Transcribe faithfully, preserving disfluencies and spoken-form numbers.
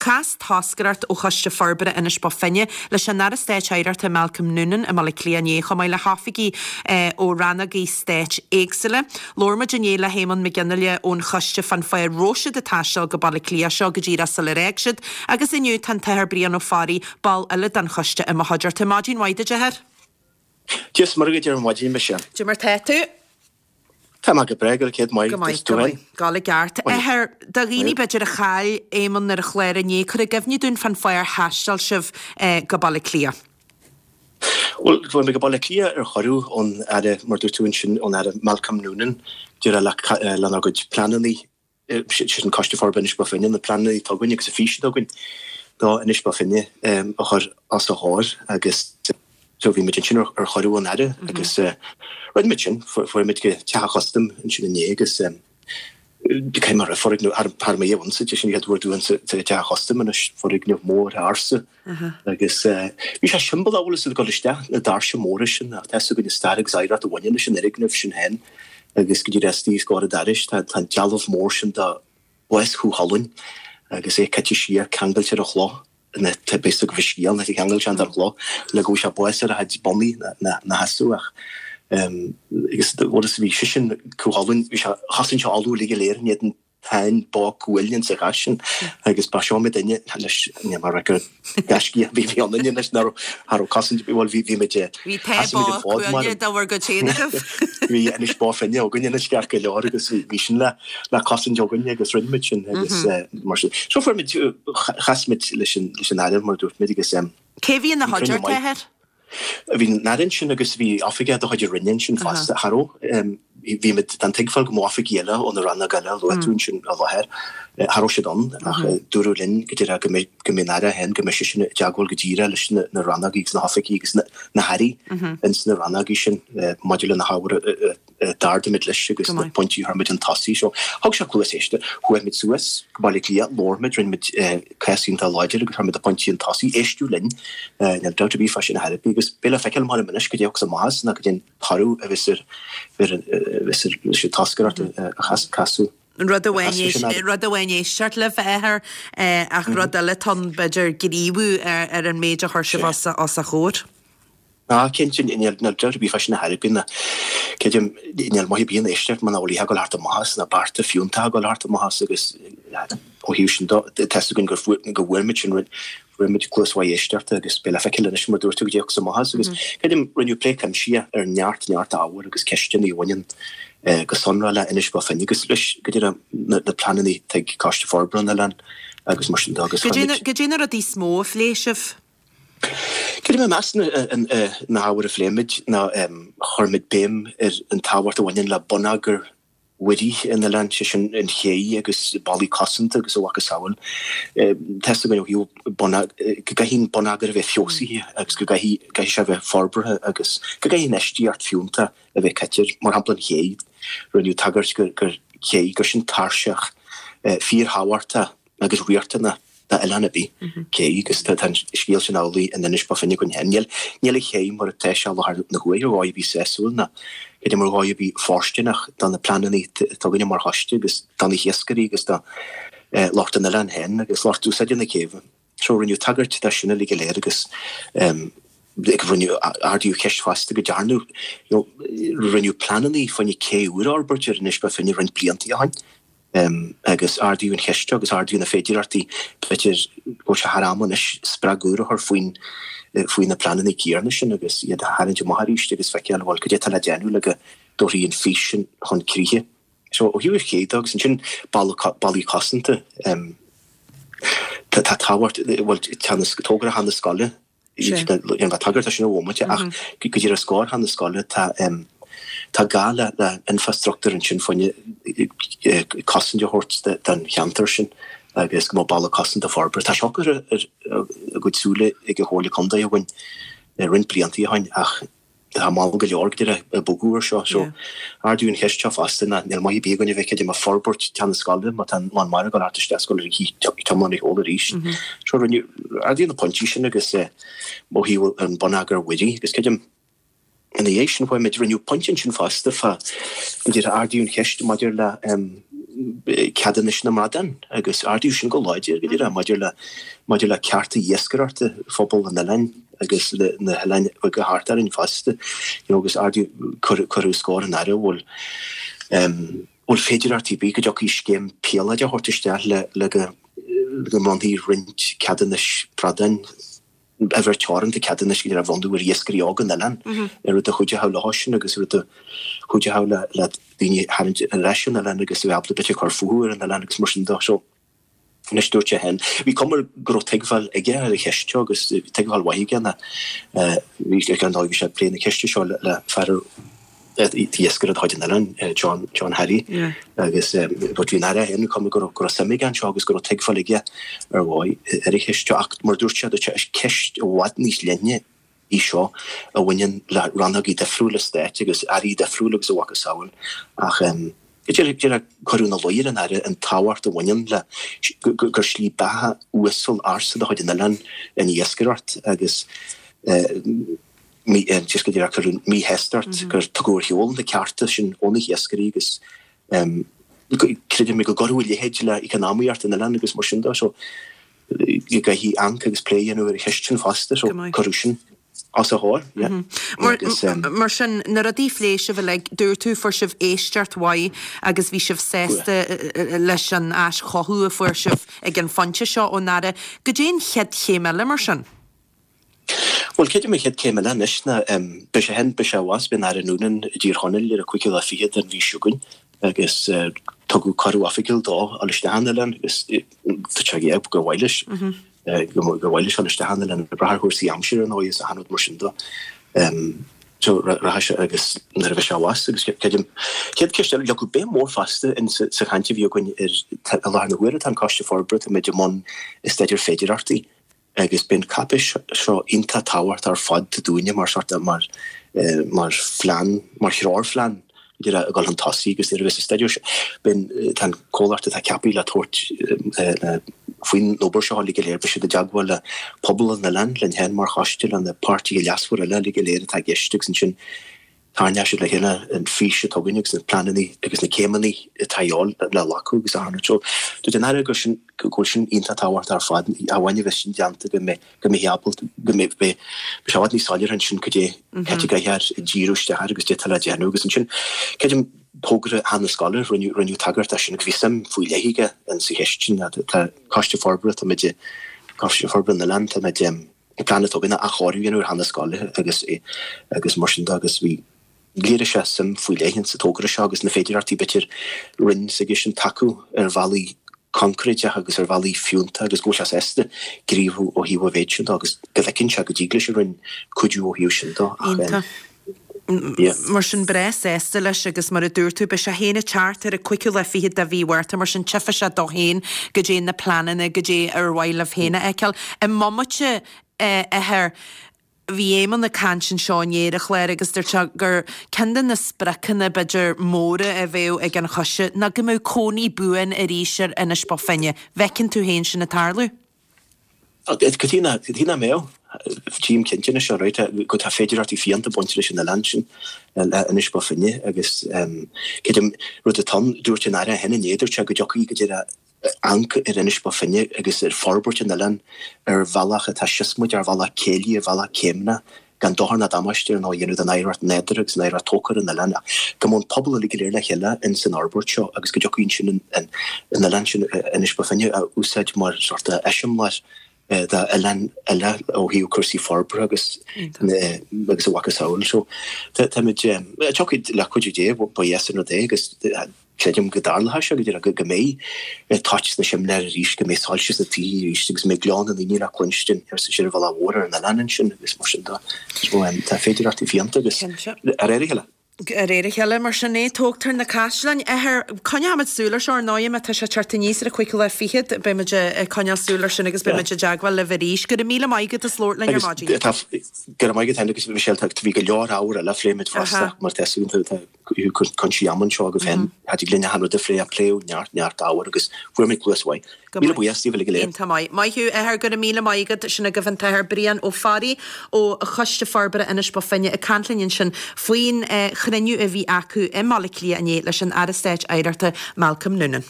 Chas toscaireacht ó Choiste Forbartha Inis Bó Finne leis an Aire Stáit Oidhreachta Malcolm Noonan i mBaile Átha Cliath inné chomh maith le hoifigigh eh, ó rannógaí stáit éagsúla. Labhair muid inné le hÉamonn Mac Fhionnghaile ón choiste fán fáth a raibh siad ag taisteal go Baile Átha Cliath seo go díreach sular fhág siad, agus inniu tá an tAthair Brian Ó Fearraigh ball eile den choiste i mo chuideachta. Maidin mhaith duit, a Athair. Dia is Muire duit ar maidin mise. Cad é mar tá tú? Tá go breá go céad Go maith go maith Gal i gceart. Athair do dhaoine b'fhéidir a chaill Éamonn ar an chlár inné cuir i gcuimhne dúinn fán fáth ar thaistil sibh eh, go Baile Átha Cliath. Well bhí go Baile Átha Cliath ar chuireadh ón Aire mar dúirt tú ansin ón Aire Malcolm Noonan dúra lenár gcuid pleananna sin Coiste Forbartha Inis Bó Finne na pleananna atá againn agus an fhís atá againn do Inis Bó Finne a chur os a chomhair agus so bhí muid ansin ar chuireadh ón Aire agus rinne muid sin fuair muid go Teach an Chustaim ansin inné agus cé mar foirgneamh thar mé ann sa sin iad dúan sa Teach an Chustaim anois foirgneamh mór ársa agus bhí sé siombalach sa dul isteach na doirse móra sin ach tá go stair agus oidhreacht a bhaineann leis an fhoirgneamh sin féin agus go dtí restaí scór daris tá tá dealbh mór sin de bhás Chú Chulainn agus é caite siar ceangailte ar an chloch na bes go bhsíal na cheangal an ar chloch le go sé bás ar a chuid bonnaí na na hasú ach agus bhí bhí sé sin Cú Chulainn bhí sé chasan se alú le go léir ní an tain bá cuailin sa gasin agus ba seo me duine leis ní mar gur gaiscí bhí bhí an leis ná har casan bhfuil bhí bhí me Bhí te bhar go téanah. Bhí Inis Bó Finne againn ina sceach go leor agus bhí sin le le cosaint againn agus rinne muid sin agus mar sin. So fuair muid chas muid leis an leis an Aire mar dúirt muid agus Cé bhí ina chuideachta, a Athair? Bhí an Aire sin agus bhí oifigeach de chuid na Roinne sin fosta cha raibh bhí muid den tuigbheáil go mbeadh oifigigh eile ó na ranna eile luaite ansin i láthair cha raibh siad ann ach dúradh linn go dtí go mbeidh go mbeidh an Aire féin go mbeidh sé sin i dteagmháil go díreach leis na na rannógaí agus na hoifigigh agus na na hairí ins na rannógaí sin maidir le na hábhair d'ardaigh muid leis agus na pointí a chuir muid chun tosaigh. So thug sé cluas éisteachta chuaigh muid suas go Baile Átha Cliath labhair muid rinne muid cás iontach láidir agus chuir muid na pointí chun tosaigh éisteadh linn níl dabht ar bith fá sin a therapy agus beidh le feiceáil mar anois go dtéadh sa maitheas ná go dtéann toradh a bheas ar ar bheas ar leis an toscaireacht a chas casadh. Rud amháin rud amháin éisteacht libh a Athair ach rud eile tá b'fhéidir gníomhú ar an méid a chuir sibh os os a chomhair. Ná cinnte níl dabht ar bith fá sin a therapy na creidim níl maith ar bith an éisteacht muna bhfuil ag dul thart amach na bearta fiúntacha ag dul thart amach agus ó thaobh sin tá a fhios againn gur go bhfuair muid sin fuair muid cluas mhaith éisteachta agus beidh le feiceáil anois mar dúirt tú go dtéadh sa maitheas agus creidim rinneadh plé cuimsitheach ar neart neart ábhar agus ceisteanna a bhaineann go sonrath le Inis Bó Finne agus leis go dtí na na pleananna atá ag Coiste Forbartha an Oileáin agus mar sin de agus Cad é na rudaí is mó a phléigh sibh? Creidim i measc na hábhair a phléigh muid ná chuir muid béim ar an tábhacht a bhaineann le bonneagar mhuirí an oileáin, sé sin an ché agus ballaí cosanta agus a mhacasamhail. Tá a fhios againn ó thaobh go gcaithfidh an bonneagar a bheith feabhsaithe agus go gcaithfidh sé a bheith forbartha agus go gcaithfidh infheistíocht fiúntach a bheith caite air. Mar shampla an ché, rinneadh tagairt gur ché, gur sin tairseach fíorthábhachtach agus riachtanach d'oileán ar bith cé agus tá an scéal sin amhlaidh in Inis Bó Finne againn féin. Níl níl an ché mar atá sé i láthair na huaire ar dhóigh ar bith sásúil ná creidim ar dhóigh ar bith fóirsteanach do na pleananna atá againne mar choiste agus do na hiascairí agus do lucht an oileáin féin agus lucht úsáide na céibhe. So rinneadh tagairt dó sin uilig go léir agus rinneadh ardaíodh ceist fosta go ndearnadh you know rinneadh pleananna fá choinne cé úr a fhorbairt ar Inis Bó Finne roinnt blianta ó shin. Agus ardaíodh an cheist seo agus ardaíodh na féidearthachtaí, b'fhéidir go bhfuil sé thar am anois spreag úr a chur faoin faoi na pleananna céanna sin agus iad a tharraingt amach arís agus feiceáil bhuel cad é atá le déanamh le go dtabharfaí an fhís sin chun críche. So ó thaobh an ché de agus ansin ballaí cosanta, tá tábhacht, bhuel togra theach na scoile, Déanfaidh tagairt dó sin i bhomaite ach go dtí os comhair theach na scoile tá tá gá le le infrastruchtúr ansin fá choinne cosaint a thabhairt don cheantar sin agus go mbeadh balla cosanta forbartha. Tá seo curtha ar a gcuid súile ag an Chomhairle Contae againn roinnt blianta ó shin ach Tá mall go leor go deireadh ag bogadh air seo. So, ardaíodh an cheist seo fosta, ná níl maith ar bith againn a bheith ag forbairt teach na scoile má tá an lán mara ag dul thart isteach is ag dul ar tiomáint ar shiúl arís. So, rinneadh, ardaíodh na pointí sin agus ó thaobh an bonneagair mhuirí agus creidim ina dhiaidh sin chuaigh muid, rinneadh pointe ansin fosta fá, go deireadh ardaíodh an cheist maidir le ceadúnais na mbradán agus ardaíodh sin go láidir go díreach maidir le maidir le cearta iascaireachta phobal an oileáin agus na hoileáin bheaga thart orainn fosta you know agus ardaíodh cuireadh os comhair an Aire bhfuil bhfuil féidearthachtaí ar bith go dtiocfaidh scéim píolóid a thabhairt isteach le le go go mbronnfaí roinnt ceadúnais bradáin uimhir teoranta ceadúnais go dtí a bhronnadh ar iascairí óga an oileáin, ar rud a chuideochadh leo sin agus rud a chuideochadh le le daoine a tharraingt ar ais an oileán agus a bheith ábalta b'fhéidir cur fúthu ar an oileán agus mar sin de. So, anois dúirt sé féin, bhí cuma go raibh tuigbheáil aige ar an cheist seo agus bhí tuigbheáil mhaith aige ná bhí sé ar ndóigh bhí sé ag plé na ceiste seo le le fear iascaire de chuid an oileáin, John, John Harry, agus but bhí an Aire féin, cuma go raibh, go raibh suim aige anseo agus go raibh tuigbheáil aige ar dhóigh ar an cheist seo. Ach mar a dúirt sé, dúirt sé, is ceist i bhfad níos leithne í seo a bhaineann le rannógaí difriúla stáit agus airí difriúla agus a mhacasamhail. Ach díreach cuireadh ina luí ar an Aire an tábhacht a bhaineann le gur slí beatha uasal ársa de chuid an oileáin an iascaireacht agus just go díreach cuireadh míshástacht gur tugadh ar shiúl na cearta sin ó na hiascairí agus creidim go gcuirfeadh a leithéid le eacnamaíocht an oileáin agus mar sin de so go gcaithfidh amharc agus plé a dhéanamh ar an cheist sin fosta so cuireadh sin os a chomhair yeah. Agus mar sin na rudaí a phléigh sibh uilig, dúirt tú fuair sibh éisteacht mhaith agus bhí sibh sásta leis an aischothú a fuair sibh ag an phointe seo ón Aire. Goidé an chéad chéim eile mar sin? Bhuel, creidim an chéad chéim eile anois ná beidh sé féin, beidh sé abhus, beidh an Aire Noonan i dTír Chonaill ar an cúigiú lá fichead den mhí seo chugainn agus tugadh cuireadh oifigiúil dó a dhul isteach an oileán agus tá sé ag gur mhaith leis, gur mhaith leis a dhul isteach an oileán ag brath ar chúrsaí aimsire ar ndóigh is achan rud mar sin de. So rachaidh sé agus nuair a bheidh sé abhus agus creidim, chéad ceist eile, leagadh béim mhór fosta in sa chaint a bhí againn ar i láthair na huaire tá an Coiste Forbartha, táimid i mbun staidéar féidearthachtaí agus bíonn cáipéis seo iontach tábhachtach ar fad dúinne mar sort of mar mar phlean, mar threoirphlean idir a dhul chun tosaigh agus nuair a bheas an staidéar seo, bíonn, tá an comhlacht atá ceaptha le tabhairt faoin obair seo uilig go léir, beidh siad i dteagmháil le pobal an oileáin, linn féin mar choiste, le na páirtithe leasmhara eile uilig go léir atá i gceist agus ansin tarraingeoidh siad le chéile an fís atá againn agus na pleananna agus na céimeanna atá a dhíobháil le glacadh agus achan rud. So, dúirt an Aire go sin, go bhfuil sin iontach tábhachtach ar fad, amháin a bheas sin déanta go mbeidh, go mbeidh ábalta, go mbeidh, beidh sé i bhfad níos soiléire ansin cad é, cad é a gcaithfear díriú isteach air agus cad é atá le déanamh agus ansin, creidim, togra Theach na Scoile, rinneadh, rinneadh tagairt dó sin agus bhí suim faoi leith aige in sa cheist sin. Tá Coiste Forbartha, táimid i, Coiste Forbartha na nOileán, táimid, an plean atá againn athchóiriú a dhéanamh ar Theach na Scoile agus agus mar sin de agus bhí léirigh sé suim faoi leith sa togra seo agus na féidearthachtaí b'fhéidir roinn s'aige sin tacú ar bhealaí coincréiteacha agus ar bhealaí fiúntacha agus go bhfuil sé sásta gníomhú ó thaobh an mhéid sin de agus go bhfeiceann sé go dtig leis an Roinn cuidiú ó thaobh sin de ach Yeah. Mar sin breá sásta leis agus mar a dúirt tú beidh sé féin ag teacht ar an cúigiú lá fichead de mhí Mhárta mar sin tchífidh sé dó féin goidé na pleananna goidé ar mhaith libh féin a fheiceáil. I mbomaite a Uidhir, bhí Éamonn ag caint anseo inné ar an chlár agus dúirt sé gur ceann de na spriocanna b'fhéidir móra a bheadh ag an choiste ná go mbeadh cónaí buan arís ar Inis Bó Finne. Bhfeiceann tú féin sin ag tarlú? Cad chuige nach mbeadh? Tchím cinnte anois right go tá féidearthachtaí fiúntacha ag baint leis an oileán sin, le Inis Bó Finne agus creidim rud atá ann, dúirt an Aire féin inné, dúirt sé go dtiocfaidh go deireadh amharc ar Inis Bó Finne agus ar forbairt an oileáin ar bhealach atá siosmaideach, ar bhealach céillí, ar bhealach céimneach, gan dochar ná damáiste ar ndóigh a dhéanamh don oidhreacht nádúrtha agus an oidhreacht tógtha ar an oileán ach go mbeadh an pobal uilig go léir le chéile ins an fhorbairt seo agus go dtiocfaidh ansin an oileán sin, Inis Bó Finne, a úsáid mar sórt eiseamláir d'oileáin eile ó thaobh cúrsaí forbartha agus agus a mhacasamhail. So táimid, tiocfaidh le cuidiú Dé, ba dheas an rud é agus creidim go dtarlóidh sé go díreach go mbeidh toit sna simléir arís, go mbeidh soilse sna tithe arís agus go mbeidh gleo na ndaoine le cluinstin ar ar an bhealach mhór ar an oileán ansin agus mar sin de. So tá féidearthachtaí fiúntacha agus de réir a chéile. De réir a chéile, mar sin é, tógtar na caisleáin. Uidhir, coinneoimid súil ar seo, ar ndóigh, má tá sé ag teacht aníos ar an cúigiú lá fichead, beimid ag coinneáil súil ar sin agus beimid i dteagmháil libh arís. Go raibh míle maith agat as labhairt linn ar maidin. Go raibh maith agat féin agus Michelle, tá bhí go leor ábhar eile a phléigh muid fosta mar tá súil tá cúinsí ama anseo agaibh féin, cha dtig linn achan rud a phlé ach pléadh neart, neart ábhar agus fuair muid cluas mhaith. Go Míle maith. buíochas daoibh uilig go léir. Iontach maith. Maith thú, a athair, go raibh míle maith agat. Sin agaibh an tAthair Brian Ó Fearraigh ó Choiste Forbartha Inis Bó Finne ag caint linn ansin faoin chruinniú a bhí acu i mBaile Átha Cliath inné leis an Aire Stáit Oidhreachta Malcolm Noonan.